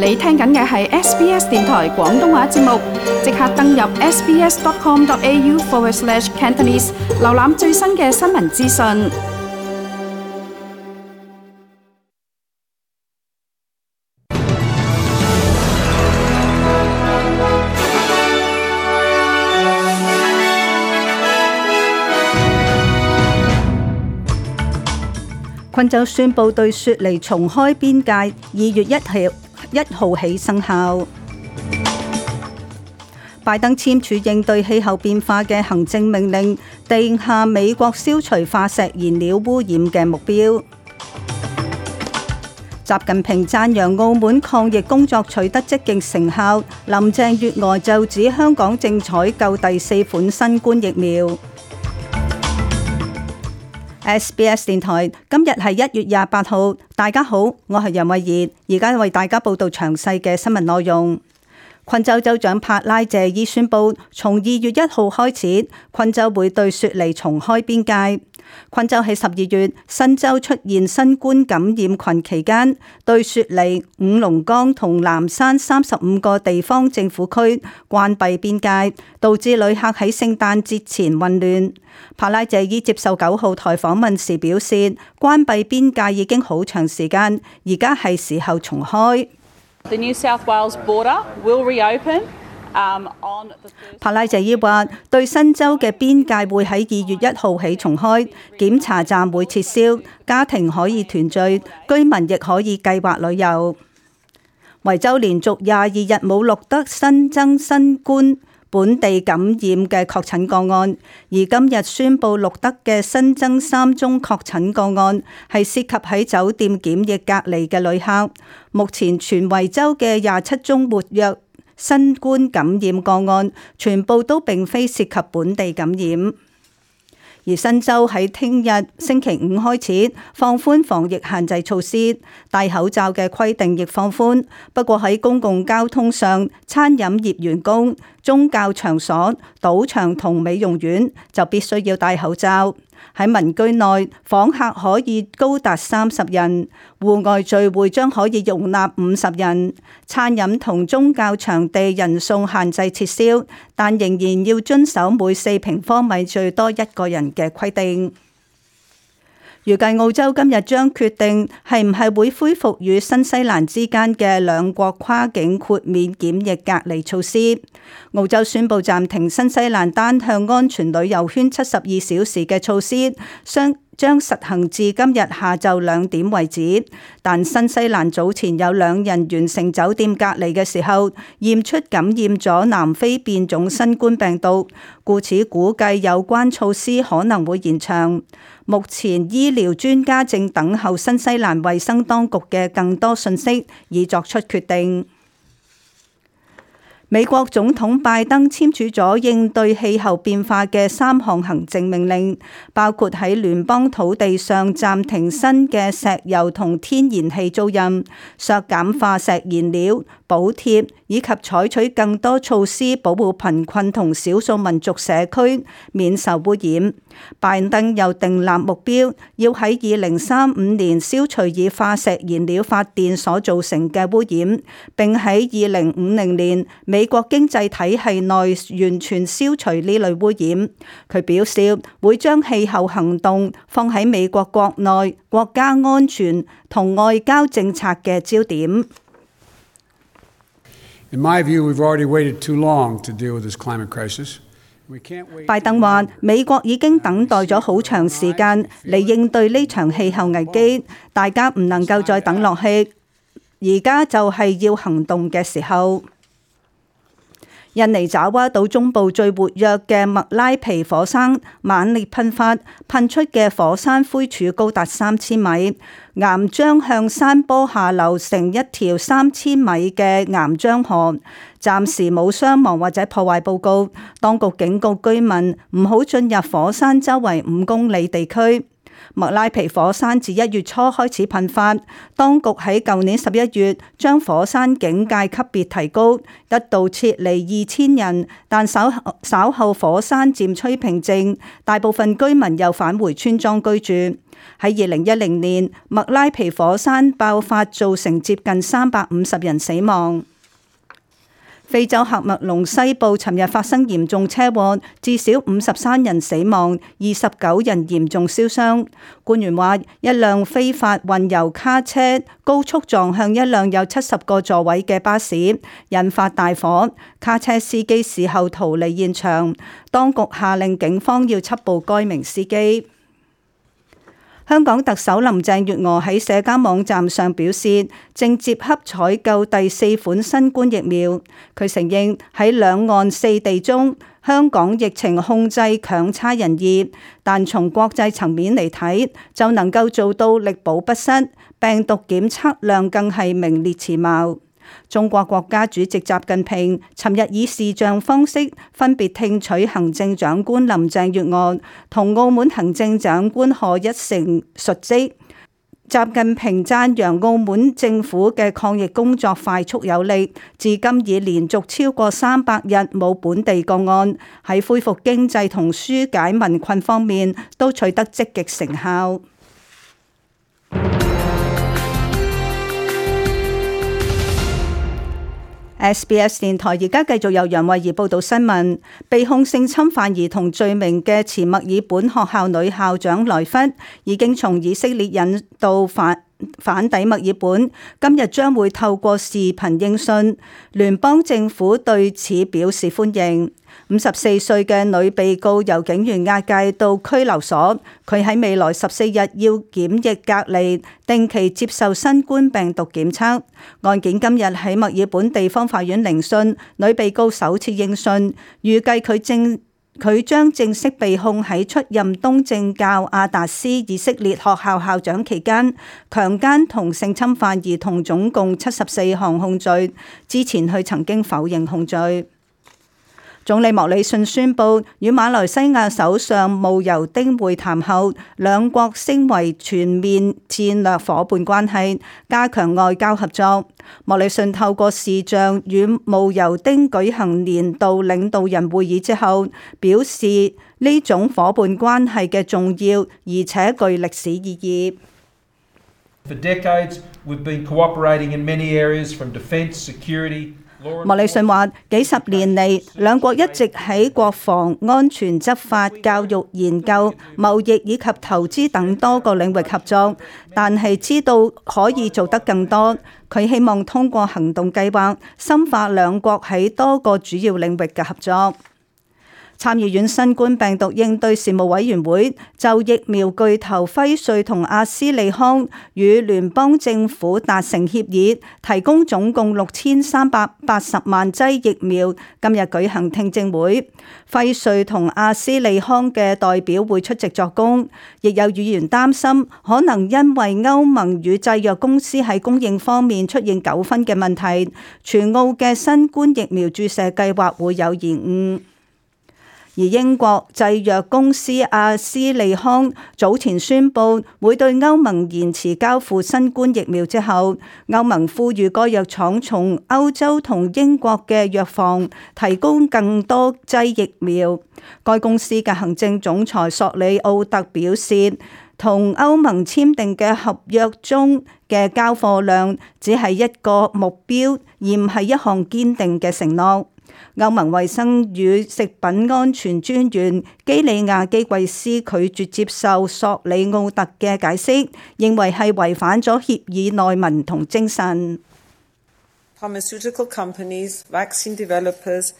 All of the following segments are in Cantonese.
你聽緊嘅係 SBS 電台廣東話節目，即刻登入 sbs.com.au/Cantonese 瀏覽最新嘅新聞資訊。昆州宣布對雪梨重開邊界，2月1號起生效。拜登簽署應對氣候變化嘅行政命令，定下美國消除化石燃料污染嘅目標。習近平讚揚澳門抗疫工作取得積極成效，林鄭月娥就指香港正採購第4款新冠疫苗。SBS 電台今日係1月28號，大家好，我係楊慧儀，而家為大家報道詳細嘅新聞內容。昆州州長帕拉謝伊宣布，從2月1號開始，昆州會對雪梨重開邊界。昆州喺12月新州出現新冠感染群期間，對雪梨、五龍崗同南山35個地方政府區關閉邊界，導致旅客喺聖誕節前混亂。帕拉謝伊接受9號台訪問時表示，關閉邊界已經好長時間，而家係時候重開。The New South Wales border will reopen. 帕拉謝伊話，對新州嘅邊界會喺2月1號起重開，檢查站會撤銷，家庭可以團聚，居民亦可以計劃旅遊。維州連續22日冇錄得新增新冠本地感染嘅確診個案，而今日宣布錄得嘅新增3宗確診個案係涉及喺酒店檢疫隔離嘅旅客。目前全維州嘅27宗活躍新冠感染個案，全部都並非涉及本地感染。而新州喺聽日星期5開始放寬防疫限制措施，戴口罩嘅規定亦放寬。不過喺公共交通上，餐飲業員工、宗教場所、賭場同美容院就必須要戴口罩。喺民居內，訪客可以高達30人，戶外聚會將可以容納50人。餐飲同宗教場地人數限制撤銷，但仍然要遵守每4平方米最多1個人嘅規定。預計澳洲今日將決定係唔係會恢復與新西蘭之間嘅兩國跨境豁免檢疫隔離措施。澳洲宣布暫停新西蘭單向安全旅遊圈72小時嘅措施，將實行至今日下晝2點為止。但新西蘭早前有2人完成酒店隔離嘅時候，驗出感染咗南非變種新冠病毒，故此估計有關措施可能會延長。目前醫療專家正等候新西蘭衛生當局嘅更多信息，以作出決定。美國總統拜登簽署咗應對氣候變化嘅3項行政命令，包括喺聯邦土地上暫停新嘅石油同天然氣租賃、削減化石燃料補貼，以及採取更多措施保護貧困同少數民族社區免受污染。拜登又訂立目標，要喺2035年消除以化石燃料發電所造成嘅污染，並喺2050年美國經濟體系內完全消除呢類污染。佢表示會將氣候行動放喺美國國內國家安全同外交政策嘅焦點。In my view, we've already waited too long to deal with this climate crisis. 拜登話：美國已經等待咗好長時間嚟應對呢場氣候危機，大家唔能夠再等落去，而家就係要行動嘅時候。印尼爪哇島中部最活躍嘅麥拉皮火山猛烈噴發，噴出嘅火山灰柱高達3000米，岩漿向山坡下流成一條3000米嘅岩漿河。暫時冇傷亡或者破壞報告，當局警告居民唔好進入火山周圍5公里地區。麥拉皮火山自1月初開始噴發，當局喺舊年11月將火山警戒級別提高，一度撤離2000人，但稍後火山漸趨平靜，大部分居民又返回村莊居住。喺2010年，麥拉皮火山爆發造成接近350人死亡。非洲喀麥隆西部尋日發生嚴重車禍，至少53人死亡，29人嚴重燒傷。官員話，一輛非法運油卡車高速撞向一輛有70個座位嘅巴士，引發大火。卡車司機事後逃離現場，當局下令警方要緝捕該名司機。香港特首林鄭月娥喺社交網站上表示，正接洽採購第4款新冠疫苗。佢承認喺兩岸4地中，香港疫情控制強差人意，但從國際層面嚟睇，就能夠做到力保不失，病毒檢測量更係名列前茅。中國國家主席習近平尋日以視像方式分別聽取行政長官林鄭月娥同澳門行政長官賀一誠述職。習近平讚揚澳門政府嘅抗疫工作快速有力，至今已連續超過300日冇本地個案，喺恢復經濟同紓解民困方面都取得積極成效。SBS 電台而家繼續由楊慧儀報道新聞。被控性侵犯兒童罪名嘅前墨爾本學校女校長萊弗已經從以色列引渡返抵墨爾本，今日將會透過視頻應訊。聯邦政府對此表示歡迎。54歲嘅女被告由警員押解到拘留所，佢喺未來14日要檢疫隔離，定期接受新冠病毒檢測。案件今日喺墨爾本地方法院聆訊，女被告首次應訊，預計佢將正式被控喺出任東正教亞達斯以色列學校校長期間，強姦同性侵犯兒童總共74項控罪。之前佢曾經否認控罪。總理莫里遜宣布與馬來西亞首相慕尤丁會談後，兩國升為全面戰略夥伴關係，加強外交合作。莫里遜透過視像與慕尤丁舉行年度領導人會議之後，表示呢種夥伴關係嘅重要而且具歷史意義。For decades, we've been cooperating in many areas from defense, security. 莫里遜話：幾十年嚟，兩國一直喺國防、安全、執法、教育、研究、貿易以及投資等多個領域合作，但係知道可以做得更多。佢希望通過行動計劃，深化兩國喺多個主要領域嘅合作。參議院新冠病毒應對事務委員會就疫苗巨頭輝瑞同阿斯利康與聯邦政府達成協議，提供總共6380萬劑疫苗。今日舉行聽證會，輝瑞同阿斯利康嘅代表會出席作供。亦有議員擔心，可能因為歐盟與製藥公司喺供應方面出現糾紛嘅問題，全澳嘅新冠疫苗注射計劃會有延誤。而英國製藥公司阿斯利康早前宣布會對歐盟延遲交付新冠疫苗之後，歐盟呼籲該藥廠從歐洲同英國嘅藥房提供更多劑疫苗。該公司嘅行政總裁索里奧特表示，同歐盟簽訂嘅合約中嘅交貨量只係一個目標，而唔係一項堅定嘅承諾。歐盟衛生與食品安全專員基里亞基貴斯拒絕接受索里奧特嘅解釋，認為係違反咗協議內文同精神。Pharmaceutical companies, vaccine developers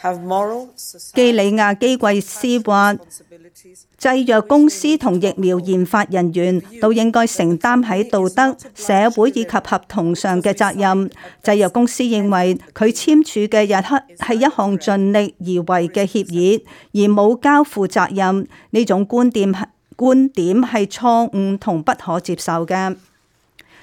have moral, 基里亞基貴斯話，製藥公司同疫苗研發人員都應該承擔喺道德、社會以及合同上嘅責任。製藥公司認為佢簽署嘅日刻係一項盡力而為嘅協議，而冇交付責任。呢種觀點係錯誤同不可接受嘅。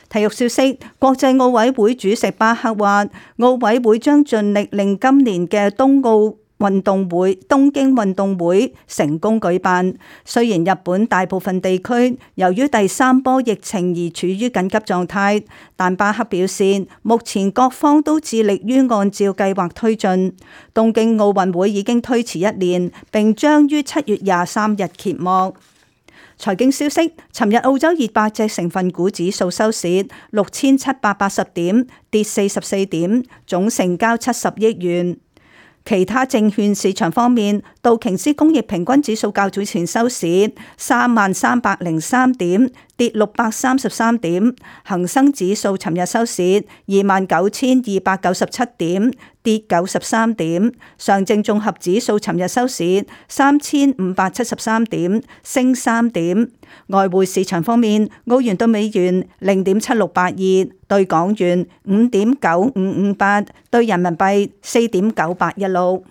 體育消息，國際奧委會主席巴克話，奧委會將盡力令今年嘅東奧東京運動會成功舉辦。雖然日本大部分地區由於第三波疫情而處於緊急狀態，但巴克表示，目前各方都致力於按照計劃推進。東京奧運會已經推遲1年，並將於7月23日揭幕。財經消息，尋日澳洲200隻成分股指數收市6780點，跌44點，總成交70億元。其他證券市場方面，道瓊斯工業平均指數較早前收市30303點，跌633點；恒生指數尋日收市29297點，跌93點；上證綜合指數尋日收市3573點，升3點。外匯市場方面，澳元對美元0.7682，對港元5.9558，對人民幣4.9816。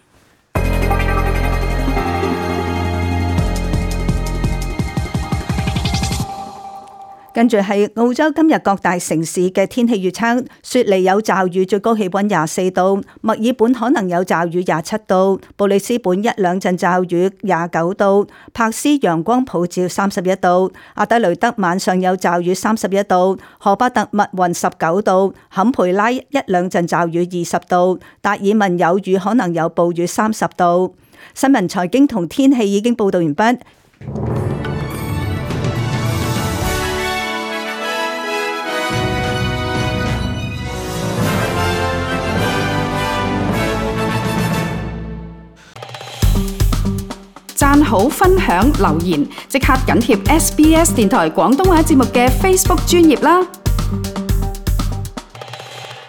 跟住係澳洲今日各大城市嘅天氣預測：雪梨有驟雨，最高氣溫24度；墨爾本可能有驟雨27度；布里斯本一兩陣驟雨29度；柏斯陽光普照31度；阿德雷德晚上有驟雨31度；荷巴特密雲19度；坎培拉一兩陣驟雨20度；達爾文有雨可能有暴雨30度。新聞財經同天氣已經報道完畢。讚好、分享、留言，即刻緊貼SBS 電台廣東話節目嘅 Facebook 專頁啦！